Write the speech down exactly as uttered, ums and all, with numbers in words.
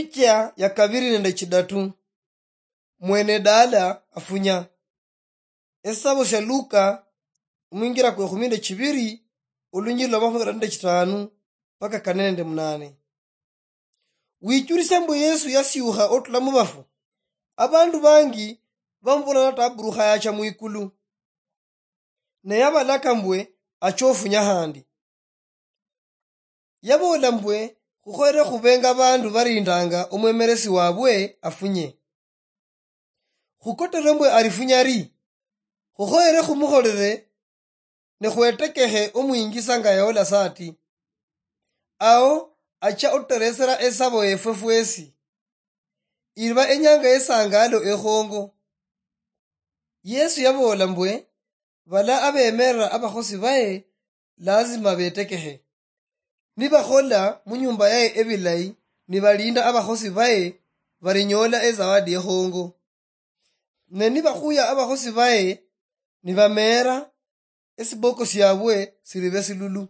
Epicha ya kabiri nende chidatu. Mwene dala afunya. Esisabo sia Luka, omwingira kwa ekhumi nende chibiri, olunyiriri lwa makhumi karano nende chitanu mpaka kane nende munane. Wichulise mbu Yesu yasiukha otula mubafu. Abandu bangi bamubola taburukha yacha mwikulu. Ne yabalaka mbwe achofunya handi. Yaboola mbwe khukhoyere khubenga abandu barindanga omwemeresi wabwe afunye. Khukotere mbwe arifunya ri, khukhoyere khumukholere ne khwetekekhe omwingisa nga yahola sati. Ao acha otuteresera esabo yefwe fwesi. Iriba enyanga yesangalo ekhongo. Yesu yaboola mbwe, bala abemerera abakhosi baye lazima betekekhe. Nibakhola munyumba yaye ebilayi, nibalinda abakhosi baye, barinyoola ezawadi ekhongo. Ne nibakhuya abakhosi baye, nibameera, esiboko siabwe siribe silulu.